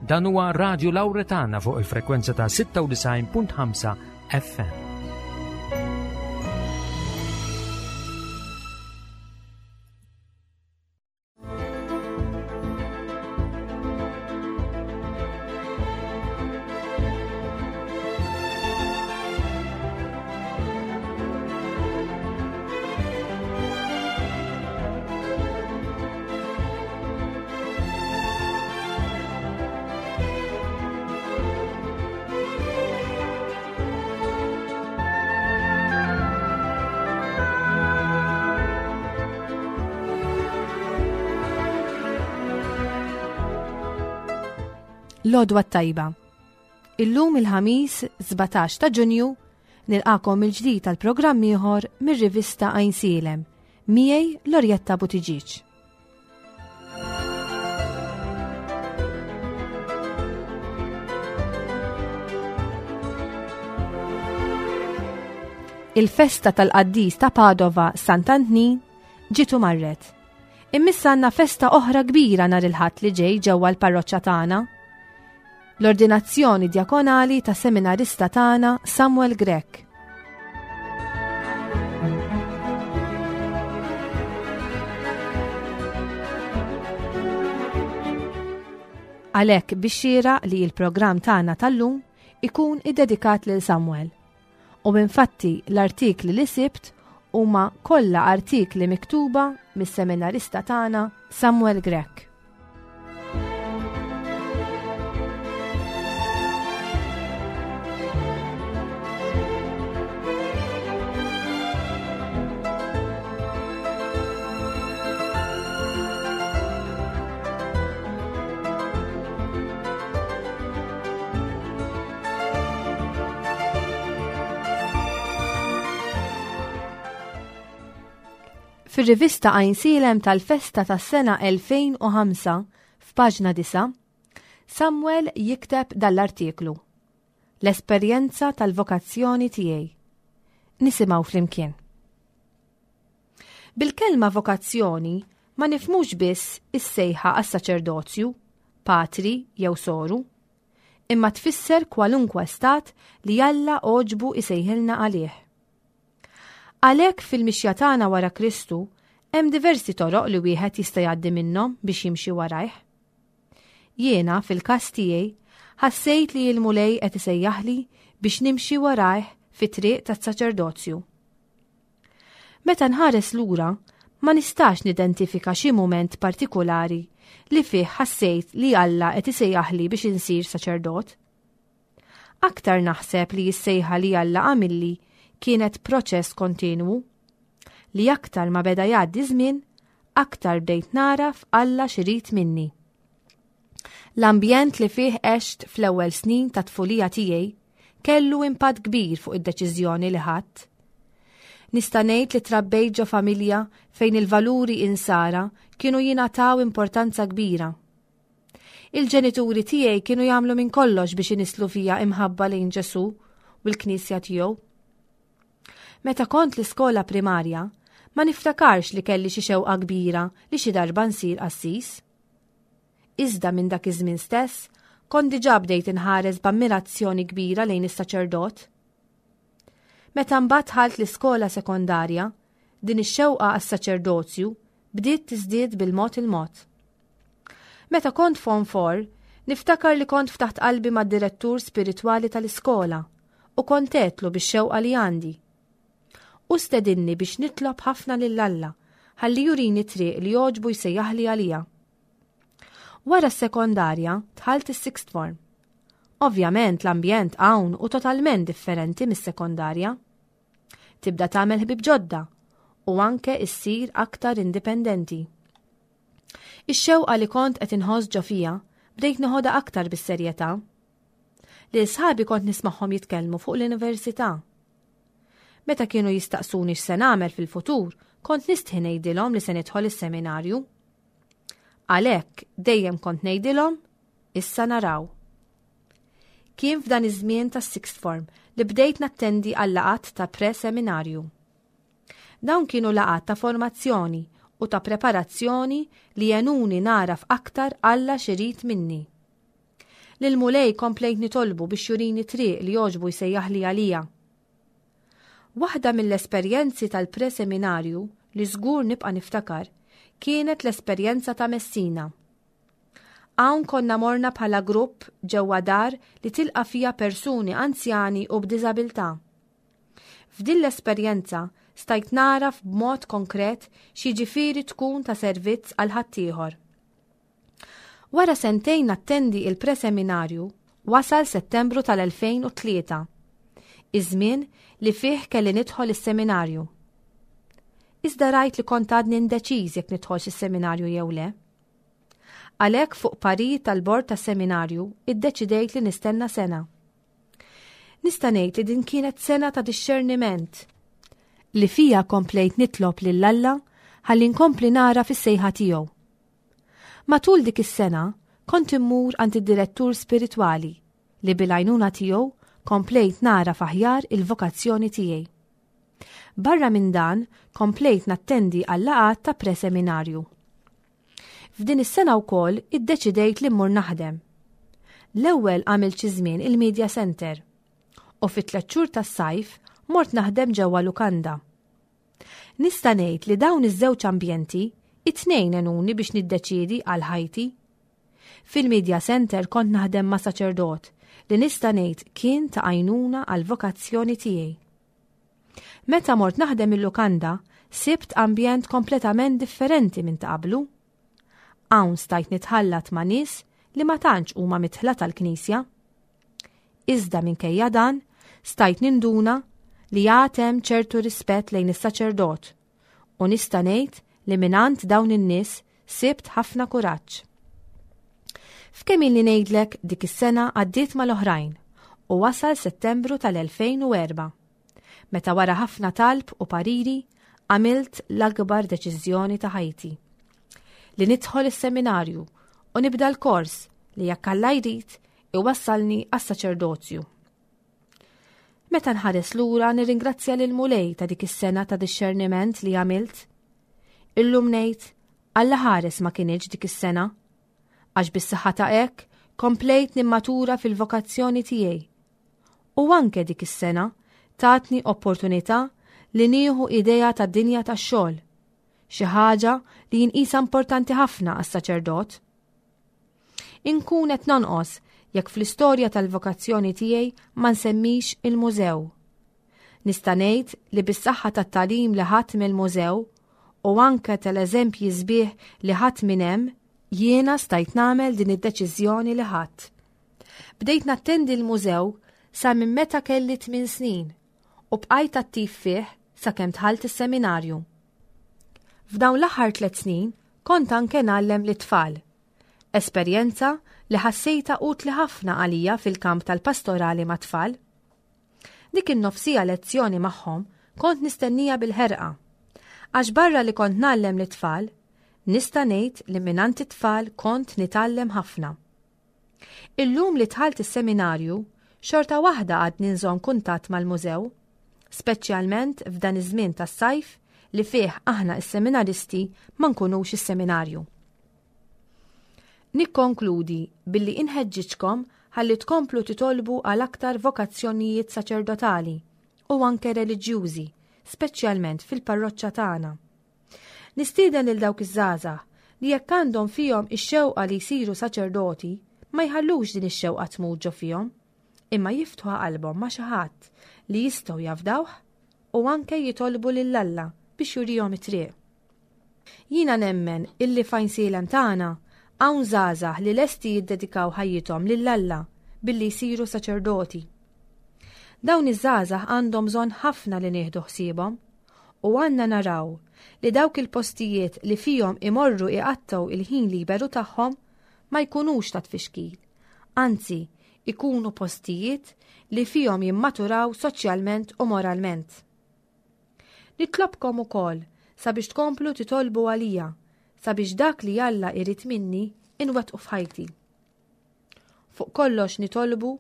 Dan huwa Radio Lauretana fuq il-frekwenza ta' 96.5 FM. L-għodwa t-tajba. Illum il-ħamis 17 ta' Ġunju nilqakom il-ġdid tal-programm ieħor mir-rivista Għajnsielem miegħi Lorjetta Buttigieg. Il-festa tal-qaddis ta' Padova Sant'Antnin ġiet u marret. Immissa għandna festa oħra kbira nhar il-Ħadd li ġej ġewwa l-parroċċa tagħna. L-ordinazzjoni djakonali ta' seminarista tagħna Samuel Grech. Għalhekk biex xieraq li l-programm tagħna tal-lum ikun iddedikat lil Samuel. U infatti l-artikli li sibt huma kollha artikli miktuba mis-seminarista tagħna Samuel Grech. Fir-rivista Għajnsielem tal-festa tas-sena 2005, f'paġna 9, Samuel jikteb dal-artiklu. L-esperjenza tal-vokazzjoni tiegħi. Nisimgħu flimkien. Bil-kelma vokazzjoni ma nifhmux biss is-sejħa għas-saċerdozju, patri jew soru, imma tfisser kwalunkwe stat li Alla għoġbu jsejħilna għalih. Għalhekk fil-mixja tagħna wara Kristu hemm diversi toroq li wieħed jista' jgħaddi minnhom biex jimxi warajh. Jiena, fil-każ tiegħi, ħassejt li l-Mulej qed isejjaħli biex nimxi warajh fit-triq tas-saċerdozju. Meta nħares lura, ma nistax nidentifika xi mument partikulari li fih ħassejt li Alla qed isejjaħli biex insir saċerdot. Aktar naħseb li s-sejħa li Alla għamilli kienet proċess kontinwu, li aktar ma beda jgħaddi żmien, aktar bdejt nagħraf Alla x'irid minni. L-ambjent li fih għext fl-ewwel snin ta' tfulija tiegħi kellu impatt kbir fuq id-deċiżjoni li ħadt. Nista' ngħid li trabbejt ġo familja fejn il-valuri insara kienu jingħataw importanza kbira. Il-ġenituri tiegħi kienu jagħmlu minn kollox biex inisslu fija imħabba lejn Ġesù u l-Knisja tiegħu. Meta kont l-iskola primarja, ma niftakarx li kelli xi xewqa kbira li xi darba nsir qassis. Iżda minn dak iż-żmien stess, kont diġà bdejt inħares b'ammirazzjoni kbira lejn is-saċerdot. Meta mbagħad dħalt l-iskola sekondarja, din ix-xewqa għas-saċerdozju bdiet tiżdied bil-mod il-mod. Meta kont Form 4, niftakar li kont ftaħt qalbi mad-direttur spiritwali tal-iskola u kont għedtlu bix-xewqa li għandi. Hu stedinni biex nitlob ħafna lil Alla ħalli jurini t-triq li jogħġbu jsejjaħli għaliha. Wara s-sekondarja dħalt is-sixth form. Ovvjament l-ambjent hawn hu totalment differenti mis-sekondarja. Tibda tagħmel ħbieb ġodda u anke issir aktar indipendenti. Ix-xewqa li kont qed inħoss ġo fija bdejt neħodha aktar bis-serjetà. Lil sħabi kont nismagħhom jitkellmu fuq l-università. Meta kienu jistaqsuni x'se nagħmel fil-futur, kont nistħi ngħidilhom li se nidħol is-seminarju. Għalhekk dejjem kont ngħidilhom issa naraw. Kien f'dan iż-żmien tas-sixth form li bdejt nattendi għal laqgħat ta' pre-seminarju. Dawn kienu laqgħat ta' formazzjoni u ta' preparazzjoni li għenuni nagħraf aktar Alla x'irid minni. Lill-Mulej komplejt nitolbu biex jurini triq li jogħġbu jsejjaħli għaliha. Waħda mill-esperjenzi tal-pre-seminarju li żgur nibqa' niftakar kienet l-esperjenza ta' Messina. Hawn konna morna bħala grupp ġewwa dar li tilqa' fiha persuni anzjani u b'diżabilità. F'din l-esperjenza stajt nagħraf b'mod konkret x'jiġifieri tkun ta' servizz għal ħaddieħor. Wara sentejn nattendi il-preseminarju, wasal Settembru tal-2003, iż-żmien li fih kelli nidħol is-seminarju. Iżda rajt li kont għadni indeċiż jekk nidħolx is-seminarju jew le. Għalhekk fuq parir tal-bord tas-seminarju iddeċidejt li nistenna sena. Nista' ngħid li din kienet sena ta' dixxerniment li fija komplejt nitlob lil Alla ħalli nkompli nara fis-sejħa tiegħu. Matul dik is-sena kont immur għand id-direttur spiritwali li bil-għajnuna tiegħu komplejt nagħraf aħjar il-vokazzjoni tiegħi. Barra minn dan komplejt nattendi għal-laqgħat ta' preseminarju. F'din is-sena wkoll iddeċidejt li mmur naħdem. L-ewwel għamilt xi żmien il-Media Center u fit-tliet xhur tas-sajf mort naħdem ġewwa lukanda. Nista' ngħid li dawn iż-żewġ ambjenti, it-tnejn għenuni biex niddeċiedi għal ħajti. Fil-Media Center kont naħdem ma' saċerdot li nista' ngħid kien ta' għajnuna għall-vokazzjoni tiegħi. Meta mort naħdem il-lukanda, sibt ambjent kompletament differenti minn ta' qablu. Hawn stajt nitħallat ma' nies li ma tantx huma midħla tal-Knisja. Iżda minkejja dan, stajt ninduna li għad hemm ċertu rispett lejn is-saċerdot u nista' ngħid li mingħand dawn in-nies sibt ħafna kuraġġ. F'kemm ilni ngħidlek dik is-sena għaddiet mal-oħrajn u wasal Settembru tal-2004. Meta wara ħafna talb u pariri għamilt l-akbar deċiżjoni ta' ħajti. Li nidħol is-seminarju u nibda l-kors li jekk Alla jrid iwassalni għas-saċerdozju. Meta nħares lura nirringrazzja lil Mulej ta' dik is-sena ta' dixxerniment li għamilt. Illum ngħid Alla ħares ma kinitx dik is-sena. Għax bis-saħħa ta' hekk komplejt nimmatura fil-vokazzjoni tiegħi. U anke dik is-sena tatni opportunità li nieħu idea tad-dinja tax-xogħol, xi ħaġa li jinqisha importanti ħafna għas-saċerdot. Inkun qed nonqos jekk fl-istorja tal-vokazzjoni tiegħi ma nsemmix il-mużew. Nista' ngħid li bis-saħħa tat-tagħlim li ħadt mill-mużew u anke tal-eżempji sbieħ li ħadt minn hemm, jiena stajt nagħmel din id-deċiżjoni li ħadt. Bdejt nattendi l-mużew sa minn meta kelli tmien snin u bqajt attiv fih sakemm dħalt is-seminarju. F'dawn l-aħħar tliet snin kont anke ngħallem lit-tfal. Esperjenza li ħassejtha utli ħafna għalija fil-kamp tal-pastorali mat-tfal. Dik in-nofsija lezzjoni magħhom kont nistennija bil-ħerqa. Għax barra li kont ngħallem lit-tfal, nista' ngħid li mingħand it-tfal kont nitgħallem ħafna. Illum li dħalt is-seminarju, xorta waħda għadni nżomm kuntatt mal-mużew, speċjalment f'dan iż-żmien tas-sajf li fih aħna s-seminaristi ma nkunux is-seminarju. Nikkonkludi billi inħeġġiġkom ħalli tkomplu titolbu għal aktar vokazzjonijiet saċerdotali u anke reliġjużi, speċjalment fil-parroċċa tagħna. Nistieden lil dawk iż-żgħażagħ li jekk għandhom fihom ix-xewqa li jsiru saċerdoti, ma jħallux din ix-xewqa tmut ġo fihom, imma jiftħu qalbhom ma' xi ħadd li jistgħu jafdawh u anke jitolbu lil Alla biex jurihom it-triq. Jiena nemmen illi f'Għajnsielem tagħna hawn żgħażagħ li lesti jiddedikaw ħajjithom lil Alla billi jsiru saċerdoti. Dawn iż-żgħażagħ għandhom bżonn ħafna li nieħdu ħsiebhom u għandna naraw li dawk il-postijiet li fihom imorru iqattgħu il-ħin liberu tagħhom ma jkunux ta' tfixkil, anzi ikunu postijiet li fihom jimmaturaw soċjalment u moralment. Nitlobkom ukoll sabiex tkomplu titolbu għalija sabiex dak li Alla irid minni inwettqu f'ħajti. Fuq kollox nitolbu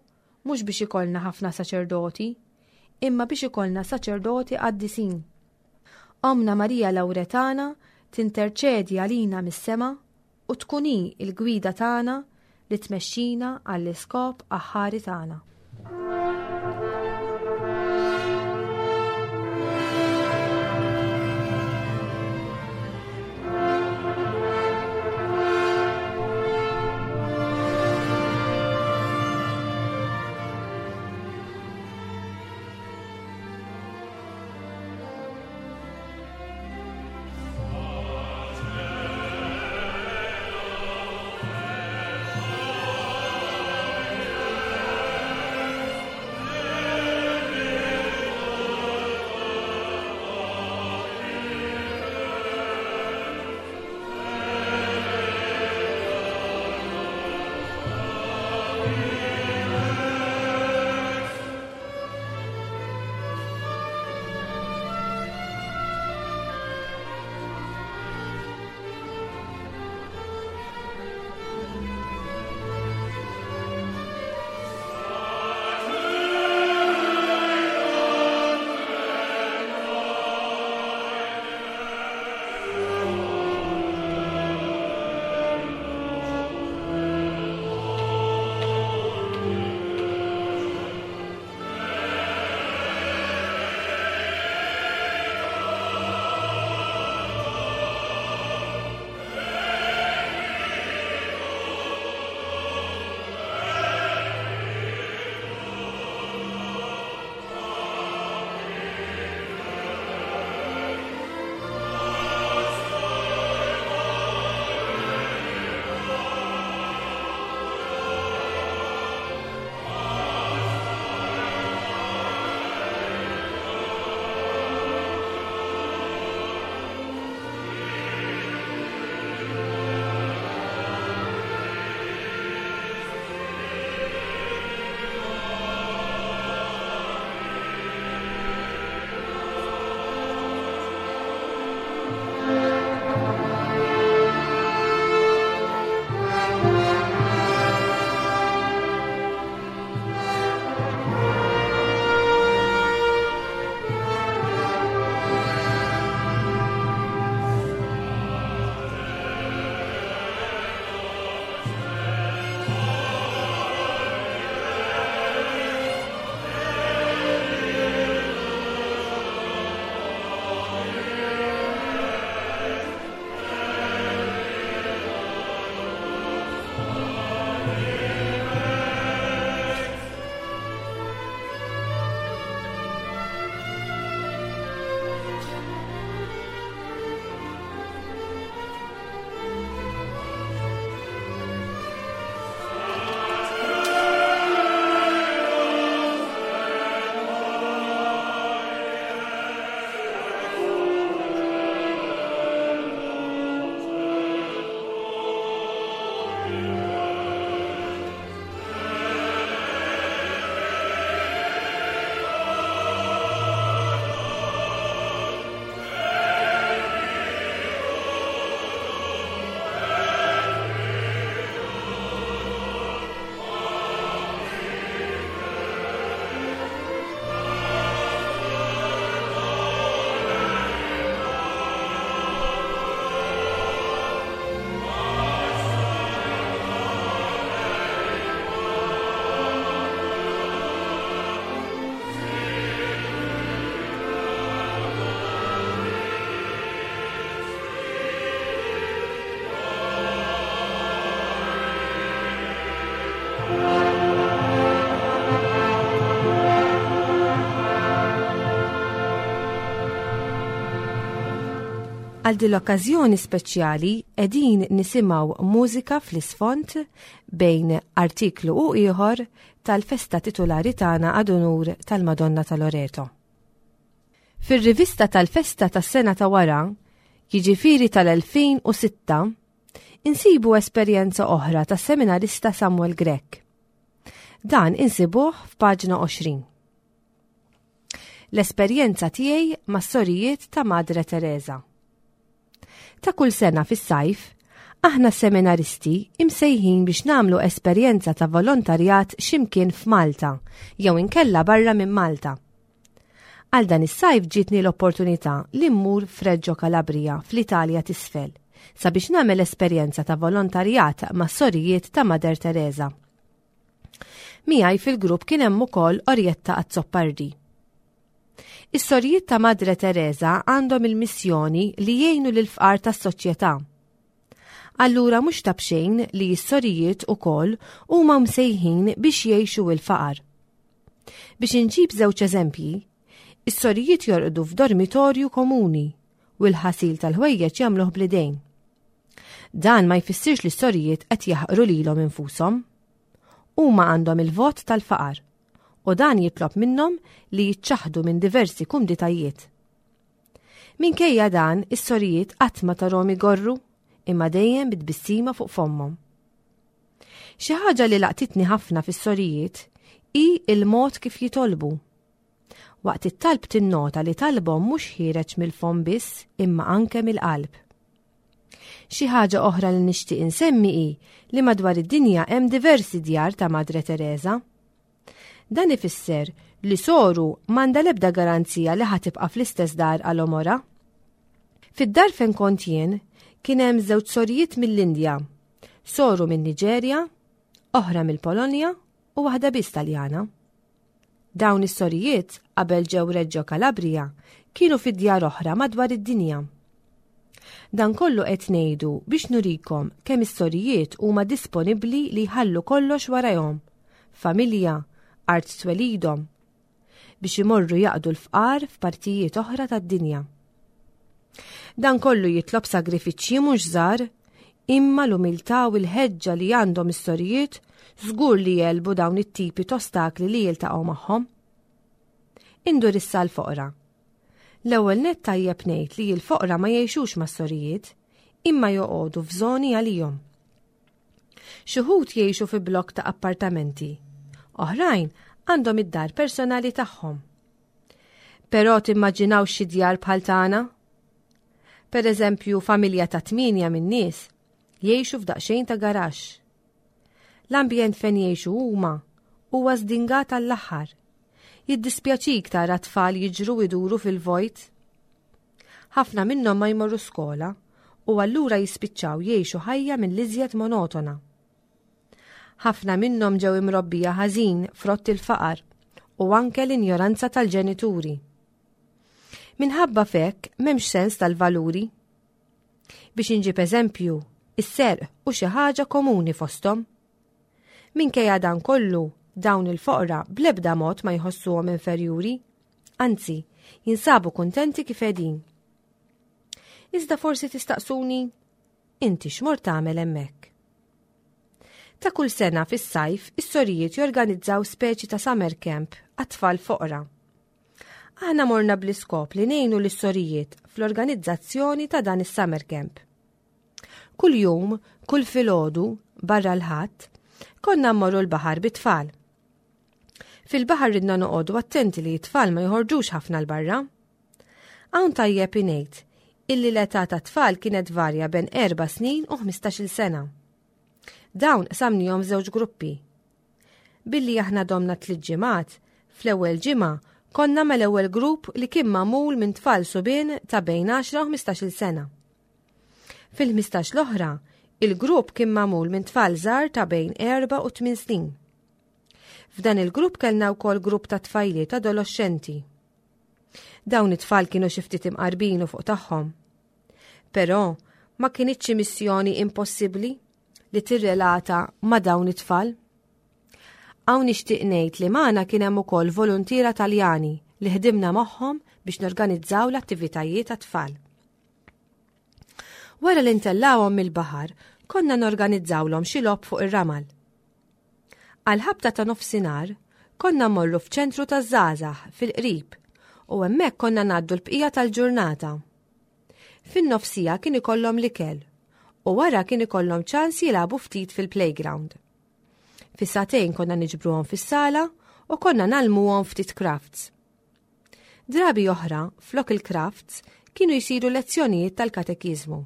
mhux biex ikollna ħafna saċerdoti, imma biex ikollna saċerdoti qaddisin. Ommna Marija Lawretana tinterċedi għalina mis-sema u tkun hi l-gwida tagħna li tmexxina għall-iskop aħħari tagħna. Għal din l-okkażjoni speċjali qegħdin nisimgħu mużika fl-isfond bejn artiklu u ieħor tal-festa titulari tagħna ad unur tal-Madonna ta' Loreto. Fir-rivista tal-festa tas-sena ta' wara, jiġifieri tal-2006, insibu esperjenza oħra tas-seminarista Samuel Grech. Dan insibuh f'paġna 20. L-esperjenza tiegħi mas-sorijiet ta' Madre Teresa. Ta' kull sena fis-sajf, aħna seminaristi imsejħin biex nagħmlu esperjenza ta' volontarjat x'imkien f'Malta jew inkella barra minn Malta. Għal dan is-sajf ġietni l-opportunità li mmur f'Reggio Calabria fl-Italja t'isfel. sabiex nagħmel esperjenza ta' volontarjat mas-sorijiet ta' Mother Teresa. Miegħi fil-grupp kien hemm ukoll Orietta Azzopardi. Is-sorijiet ta' Madre Teresa għandhom il-missjoni li jgħinu lill-fqar tas-soċjetà. Allura mhux ta' b'xejn li s-sorijiet ukoll huma msejħin biex jgħixu l-faqar. Biex inġib żewġ eżempji, is-sorijiet jorqdu f'dormitorju komuni u l-ħasil tal-ħwejjeġ jagħmluh bl-idejn. Dan ma jfissirx li s-sorijiet qed jaħqru lilhom infushom. Huma għandhom il-vot tal-faqar u dan jitlob minnhom li jiċċaħdu minn diversi kumditajiet. Minkejja dan, is-sorijiet qatt ma tarhom igorru imma dejjem bit-tbissima fuq fommhom. Xi ħaġa li laqtitni ħafna fis-sorijiet hi l-mod kif jitolbu. Waqt it-talb tinnota li talbhom mhux ħiereġ mill-fomm biss imma anke mill-qalb. Xi ħaġa oħra li nixtieq insemmi hi li madwar id-dinja hemm diversi djar ta' Madre Teresa. Dan ifisser li soru m'għandha l-ebda garanzija li ħa tibqa' fl-istess dar għal għomorha. Fid-dar fejn kont jien kien hemm żewġ sorijiet mill-Indja, soru min-Niġerja, oħra mill-Polonja u waħda biss Taljana. Dawn is-sorijiet qabel ġew Reggio Calabria kienu fi djar oħra madwar id-dinja. Dan kollu qed ngħidu biex nurikom kemm is-sorijiet huma disponibbli li jħallu kollox warajhom, familja, art twelidhom, biex imorru jaqdu l-fqar f'partijiet oħra tad-dinja. Dan kollu jitlob sagrifiċċji mhux żgħar, imma l-umiltà u l-ħeġġa li għandhom is-sorijiet żgur li jegħlbu dawn it-tipi t'ostakli li jiltaqgħu magħhom. Indur issa l-foqra. L-ewwel nett tajjeb ngħid li l-foqra ma jgħixux mas-sorijiet, imma joqogħdu f'żoni għalihom. Xi wħud jgħixu fi blokk ta' appartamenti, oħrajn għandhom id-dar personali tagħhom. Però timmaġinawx xi djar bħal tagħna? Per eżempju, familja ta' tmienja min-nies jgħixu f'daqsxejn ta' garaxx. L-ambjent fejn jgħixu huma huwa żdingat għall-aħħar. Jiddispjaċik tara tfal jiġru iduru fil-vojt. Ħafna minnhom ma jmorru skola u allura jispiċċaw jgħixu ħajja mill-iżjed monotona. Ħafna minnhom ġew imrobbija ħażin frott il-faqar u anke l-injoranza tal-ġenituri. Minħabba f'hekk m'hemmx sens tal-valuri. Biex inġib eżempju, is-serq hu xi ħaġa komuni fosthom. Minkejja dan kollu, dawn il-foqra bl-ebda mod ma jħossuhom inferjuri, anzi, jinsabu kuntenti kif qegħdin. Iżda forsi tistaqsuni, inti x'mort tagħmel hemmhekk? Ta' kull sena fis-sajf, is-sorijiet jorganizzaw speċi ta' summer camp għat-tfal foqra. Aħna morna bl-iskop li ngħinu lis-sorijiet fl-organizzazzjoni ta' dan is-summer camp. Kull jum, kull filgħodu, barra l-Ħadd, konna mmorru l-baħar bit-tfal. Fil-baħar ridna noqogħdu attenti li t-tfal ma joħorġux ħafna l-barra. Hawn tajjeb ingħid illi l-età tat-tfal kienet varja ben 4 snin u 15-il sena. Dawn qsamnihom f'żewġ gruppi. Billi aħna domna tliet ġimgħat, fl-ewwel ġimgħa konna mal-ewwel grupp li kien magħmul minn tfal subien ta' bejn 10 u 15-il sena. Fil-15 l-oħra, il-grupp kien magħmul minn tfal żgħar ta' bejn 4 u 8 snin. F'dan il-grupp kellna wkoll grupp ta' tfajliet adoloxxenti. Dawn it-tfal kienu xi ftit imqarbin u fuq tagħhom. Però ma kinitx xi missjoni impossibbli li tirrelata ma' dawn it-tfal. Hawn nixtieq ngħid li magħna kien hemm ukoll voluntiera Taljani li ħdimna magħhom biex norganizzaw l-attivitajiet għat-tfal. Wara li ntellgħuhom mill-baħar, konna norganizzawlhom xi logħob fuq ir-ramal. Għall-ħabta ta' nofsinhar, konna mmorru f'ċentru taż-żgħażagħ fil-qrib u hemmhekk konna ngħaddu l-bqija tal-ġurnata. Fin-nofsija kien ikollhom l-ikel u wara kien ikollhom ċans jilagħbu ftit fil-playground. Fis-sagħtejn konna niġbruhom fis-sala u konna ngħallmuhom ftit crafts. Drabi oħra, flok il-crafts, kienu jsiru lezzjonijiet tal-katekiżmu.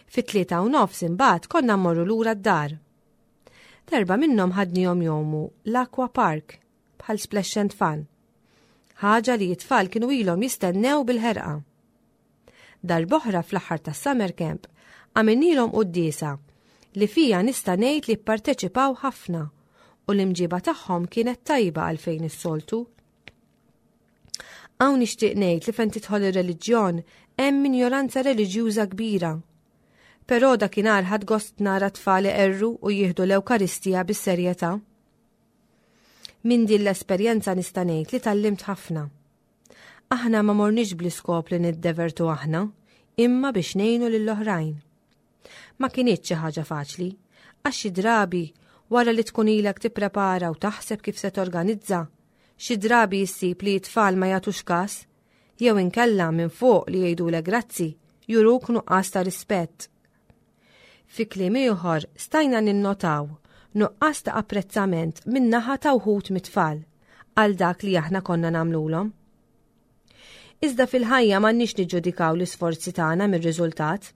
Fit-3:30 imbagħad konna mmorru lura d-dar. Darba minnhom ħadnihom jgħumu l-Aqua Park bħal splash and fun. Ħaġa li t-tfal kienu ilhom jistennew bil-ħerqa. Darb'oħra fl-aħħar tas-summer camp għamilnielhom quddiesa li fija nista' ngħid li pparteċipaw ħafna u l-imġiba tagħhom kienet tajba għalfejn is-soltu. Hawn nixtieq ngħid li fejn tidħol ir-reliġjon hemm injoranza reliġjuża kbira. Però dakinhar ħadt gost nara tfal iqerru u jieħdu l-Ewkaristija bis-serjetà. Minn din l-esperjenza nista' ngħid li tgħallimt ħafna. Aħna ma morniex bl-iskop li niddevertu aħna, imma biex ngħinu lill-oħrajn. Ma kinitx xi ħaġa faċli, għax xi drabi wara li tkun ilek tipprepara u taħseb kif se torganizza, xi drabi issib li t-tfal ma jagħtux kas, jew inkella minn fuq li jgħidulek grazzi, juruk nuqqas ta' rispett. Fi kliem ieħor, stajna ninnotaw nuqqas ta' apprezzament min-naħa ta' wħud mit-tfal għal dak li aħna konna nagħmlulhom. Iżda fil-ħajja m'għandniex niġġudikaw l-isforzi tagħna mir-riżultat.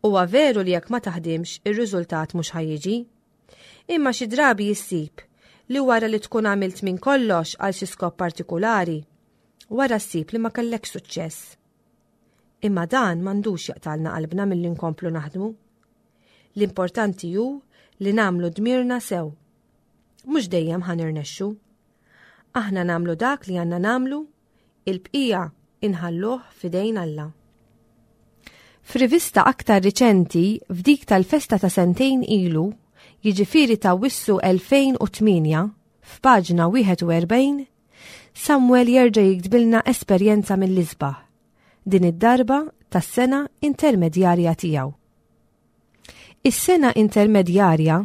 Huwa veru li jekk ma taħdimx ir-riżultat mhux ħa jiġi. Imma xi drabi issib li wara li tkun għamilt minn kollox għal xi skop partikulari, wara ssib li ma kellekx suċċess. Imma dan m'għandux jaqtalna qalbna milli nkomplu naħdmu. L-importanti hu li nagħmlu dmirna sew. Mhux dejjem ħa nirnexxu. Aħna nagħmlu dak li għandna nagħmlu, il-bqija inħalluh f'idejn Alla. F'rivista aktar riċenti, f'dik tal-festa ta' sentejn ilu, jiġifieri ta' Wissu 2008, f'paġna 41, Samuel jerġa' jiktbilna esperjenza mill-isbaħ, din id-darba tas-sena intermedjarja tiegħu. Is-sena intermedjarja,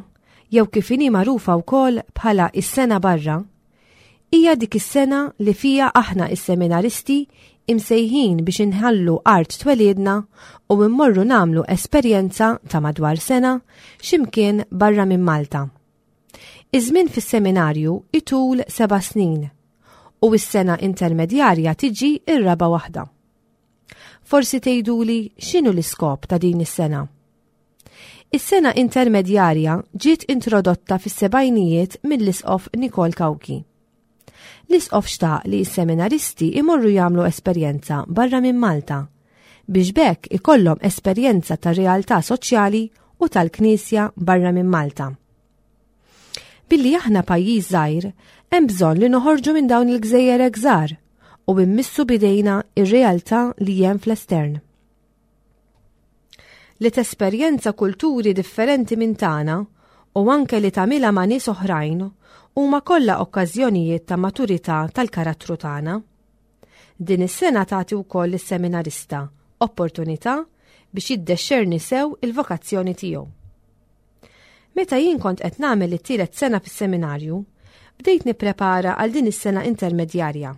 jew kif inhi magħrufa wkoll bħala is-sena barra, hija dik is-sena li fiha aħna is-seminaristi imsejħin biex inħallu art twelidna u immorru nagħmlu esperjenza ta' madwar sena x'imkien barra minn Malta. Iż-żmien fis-seminarju itul seba' snin u s-sena intermedjarja tiġi r-raba' waħda. Forsi tgħiduli x'inhu l-iskop ta' din is-sena. Is-sena intermedjarja ġiet introdotta fis-sebgħinijiet mill-Isqof Nikol Cauchi. L-Isqof xtaq li s-seminaristi imorru jagħmlu esperjenza barra minn Malta biex b'hekk ikollhom esperjenza tar-realtà soċjali u tal-Knisja barra minn Malta. Billi aħna pajjiż żgħir, hemm bżonn li noħorġu minn dawn il-gżejjer hekk żgħar u immissu bidejna ir-realtà li hemm fl-estern. Li tesperjenza kulturi differenti minn tagħna u anke li tagħmilha ma' nies oħrajn huma kollha okkażjonijiet ta' maturità tal-karattru tagħna. Din is-sena tagħti wkoll lis-seminarista opportunità biex jiddexxerni sew il-vokazzjoni tiegħu. Meta jien kont qed nagħmel it-tielet sena fis-seminarju, bdejt nipprepara għal din is-sena intermedjarja.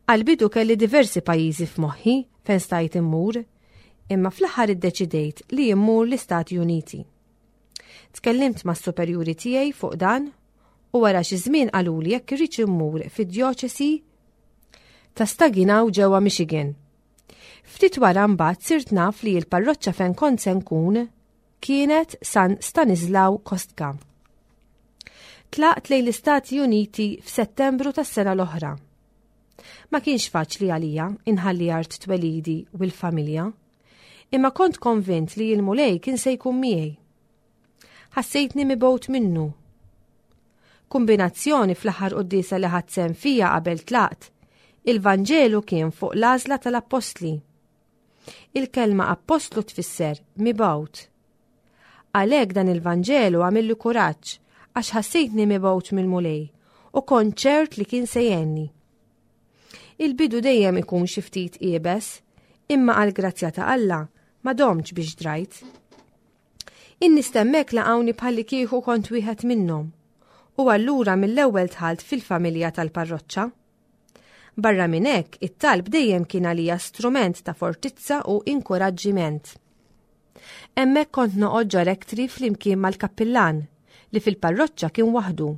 Għall-bidu kelli diversi pajjiżi f'moħħi fejn stajt immur, imma fl-aħħar iddeċidejt li immur l-Istati Uniti. Tkellimt mas-superjuri tiegħi fuq dan u wara xi żmien qaluli jekk irridx immur fid-djoċesi ta' Saginaw ġewwa Michigan. Ftit wara mbagħad sirt naf li l-parroċċa fejn kont se nkun kienet San Stanislaw Kostka. Tlaqt lejn l-Istati Uniti f'Settembru tas-sena l-oħra. Ma kienx faċli għalija inħalli art twelidi u l-familja, imma kont konvint li l-Mulej kien se jkun miegħi. Ħassejtni mibgħut minnu. Kumbinazzjoni fl-aħħar quddiesa li ħadt sehem fija qabel tlaqt, il-Vanġelu kien fuq l-għażla tal-appostli. Il-kelma appostlu tfisser mibgħut. Għalhekk dan il-Vanġelu għamilli kuraġġ għax ħassejtni mibgħut mill-Mulej u kont ċert li kien se jgħinni. Il-bidu dejjem ikun xi ftit iebes, imma għall-grazzja ta' Alla ma domtx biex drajt. In-nies t'hemmhekk laqgħuni bħallikieku kont wieħed minnhom u allura mill-ewwel dħalt fil-familja tal-parroċċa. Barra minn hekk, it-talb dejjem kien għalija strument ta' fortizza u inkuraġġiment. Hemmhekk kont noqgħod ġo rectory flimkien mal-kappillan li fil-parroċċa kien waħdu.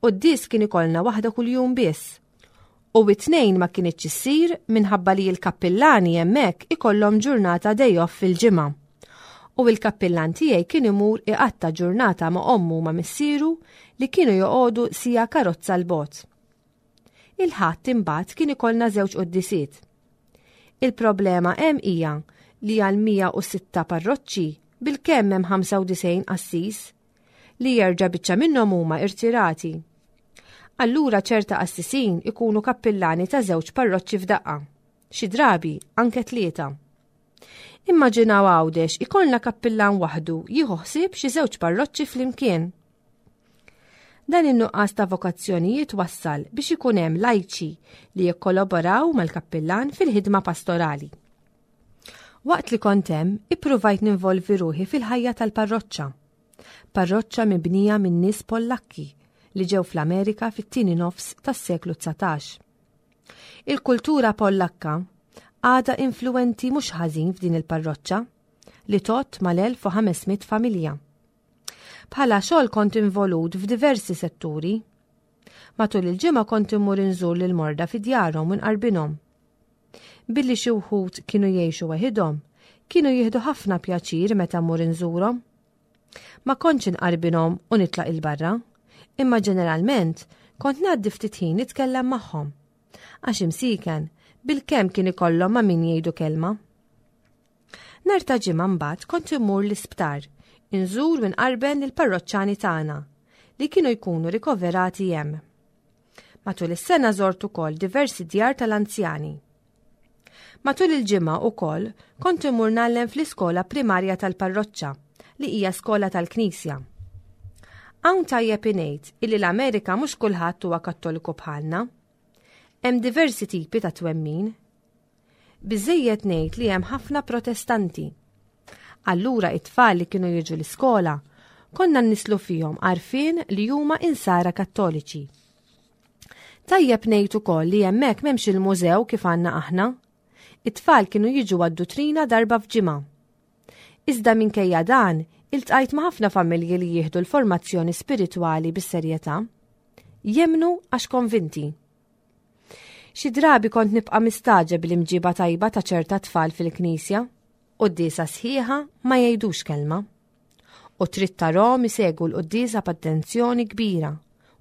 Quddies kien ikollna waħda kuljum biss. U it-tnejn ma kinitx issir minħabba li l-kappillani hemmhekk ikollhom ġurnata day off fil-ġimgħa. U l-kappillan tiegħi kien imur iqatta' ġurnata ma' ommu u ma' missieru li kienu joqogħdu siegħa karozza 'l bogħod. Il-Ħadd imbagħad kien ikollna żewġ quddisiet. Il-problema hemm hija li għal 106 parroċċi bilkemm hemm 95 qassis li jerġa' biċċa minnhom huma irtirati. Allura ċerta qassisin ikunu kappillani ta' żewġ parroċċi f'daqqa, xi drabi anke tlieta. Immaġinaw Għawdex ikollna kappillan waħdu jieħu ħsieb xi żewġ parroċċi flimkien. Dan in-nuqqas ta' vokazzjonijiet wassal biex ikun hemm lajċi li jikkolaboraw mal-kappillan fil-ħidma pastorali. Waqt li kont hemm, ippruvajt ninvolvi ruħi fil-ħajja tal-parroċċa. Parroċċa mibnija minn nies Pollakki li ġew fl-Amerika fit-tieni nofs tas-seklu 19. Il-kultura Pollakka għadha influwenti mhux ħażin f'din il-parroċċa li tgħodd mal-1500 familja. Bħala xogħol kont involut f'diversi setturi. Matul il-ġimgħa kont immur inżur lil morda fi djarhom u nqarbinhom. Billi xi wħud kienu jgħixu weħidhom, kienu jieħdu ħafna pjaċir meta mmur inżurhom. Ma kontx inqarbinhom u nitlaq il-barra, imma ġeneralment kont ngħaddi ftit ħin nitkellem magħhom. Għax imsiken, bilkemm kien ikollhom ma' min jgħidu kelma. Nhar ta' Ġimgħa mbagħad kont immur l-isptar, inżur u nqarben lill-parroċċani tagħna li kienu jkunu rikoverati hemm. Matul is-sena żort ukoll diversi djar tal-anzjani. Matul il-ġimgħa ukoll kont immur ngħallem fl-iskola primarja tal-parroċċa li hija skola tal-Knisja. Hawn tajjeb ingħid illi l-Amerika mhux kulħadd huwa Kattoliku bħalna. Hemm diversi tipi ta' twemmin. Biżżejjed ngħid li hemm ħafna Protestanti. Allura it-tfal li kienu jiġu l-iskola konna nnislu fihom għarfien li huma insara Kattoliċi. Tajjeb ngħid ukoll li hemmhekk m'hemmx il-mużew kif għandna aħna. It-tfal kienu jiġu għad-dutrina darba f'ġimgħa. Iżda minkejja dan, iltqajt ma' ħafna familji li jieħdu l-formazzjoni spiritwali bis-serjetà. Jemmnu għax konvinti. Xi drabi kont nibqa' mistagħġeb bl-imġiba tajba ta' ċerta tfal fil-knisja. Quddiesa sħiħa ma jgħidux kelma. U trid tarahom isegwu l-quddiesa b'attenzjoni kbira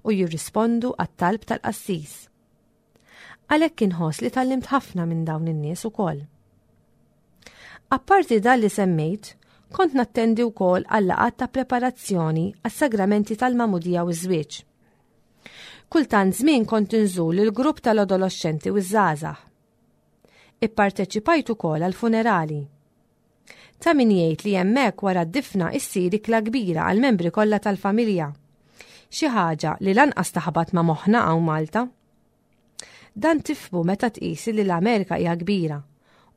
u jirrispondu għat-talb tal-qassis. Għalhekk inħoss li tgħallimt ħafna minn dawn in-nies ukoll. Apparti dan li semmejt, kont nattendi wkoll għal laqgħat ta' preparazzjoni għas-sagramenti tal-magħmudija u ż-żwieġ. Kultant żmien kont inżur lill-grupp tal-adoloxxenti u ż-żgħażagħ. Ipparteċipajt ukoll għal funerali. Ta' min jgħid li hemmhekk wara d-difna issir ikla kbira għall-membri kollha tal-familja. Xi ħaġa li lanqas taħbat ma' moħħna hawn Malta. Dan tifhmu meta tqis li l-Amerika hija kbira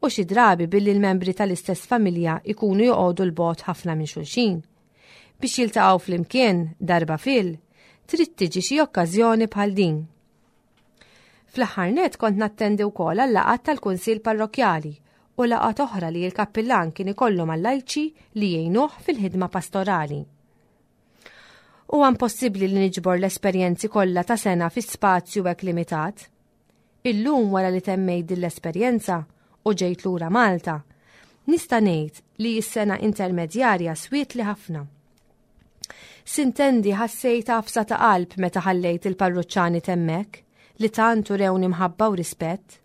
u xi drabi billi l-membri tal-istess familja jkunu joqogħdu 'l bogħod ħafna minn xulxin. Biex jiltaqgħu flimkien darba fil, trid tiġi xi okkażjoni bħal din. Fl-aħħar nett kont nattendi wkoll għal laqgħat tal-Kunsill Parrokkjali u laqgħat oħra li l-kappillan kien ikollu mal-lajċi li jgħinuh fil-ħidma pastorali. Huwa impossibbli li niġbor l-esperjenzi kollha ta' sena fi spazju hekk limitat. Illum wara li temmejt din l-esperjenza u ġejt lura Malta, nista' ngħid li s-sena intermedjarja swietli ħafna. Sintendi ħassejt għafsa ta' qalb meta ħallejt il-parruċċani t'hemmhekk li tant urewni mħabba u rispett.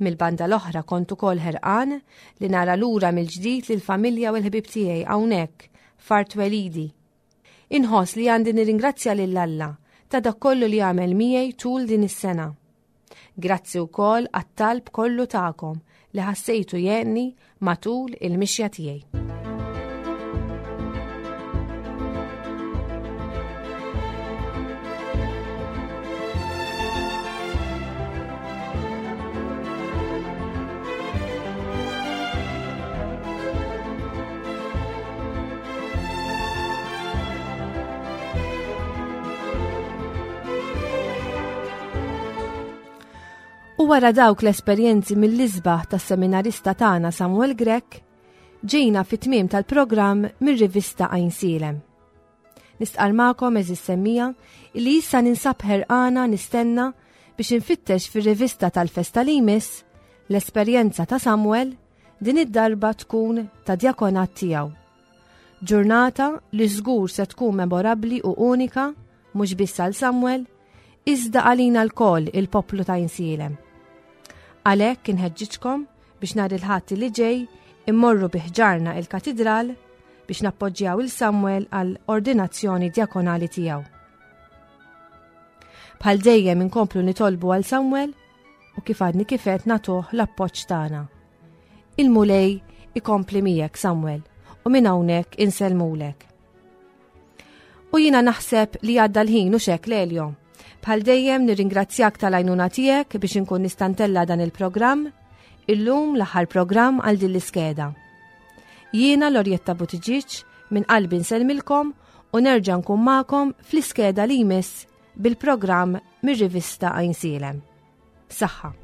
Mill-banda l-oħra kont ukoll ħerqan li nara lura mill-ġdid lill-familja u l-ħbieb tiegħi hawnhekk f'art twelidi. Inħoss li għandi nirringrazzja lil Alla ta' dak kollu li għamel miegħi tul din is-sena. Grazzi wkoll għat-talb kollu tagħkom li ħassejtu jgħinni matul il-mixja tiegħi. U wara dawk l-esperjenzi mill-isbaħ tas-seminarista tagħna Samuel Grech, ġejna fit-tmiem tal-programm mir-rivista Għajnsielem. Nistqar magħkom eżis semmija li issa ninsab ħerqana nistenna biex infittex fir-rivista tal-festa li jmiss l-esperjenza ta' Samuel din id-darba tkun ta' djakonat tiegħu. Ġurnata li żgur se tkun memorabbli u unika mhux biss għal Samuel, iżda għalina lkoll il-poplu ta' Insielem. Għalhekk inħeġġiġkom biex nhar il-Ħadd li ġej immorru bi ħġarna il-Katidral biex nappoġġjaw il Samuel għal ordinazzjoni djakonali tiegħu. Bħal dejjem inkomplu nitolbu għal Samuel u kif għadni kifet nagħtuh l-appoġġ tagħna. Il-Mulej ikompli miegħek Samuel u minn hawnhekk insellmulek. U jiena naħseb li għadda l-ħin u xek Lelio. Bħal dejjem nirringrazzjak tal-għajnuna tiegħek biex inkun nistantella dan il-programm, illum l-aħħar programm għal din l-iskeda. Jiena Lorjetta Buttigieg minn qalbi nsellmilkom u nerġa' nkun magħkom fl-iskeda li jmiss bil-programm mir-rivista Għajnsielem. Saħħa.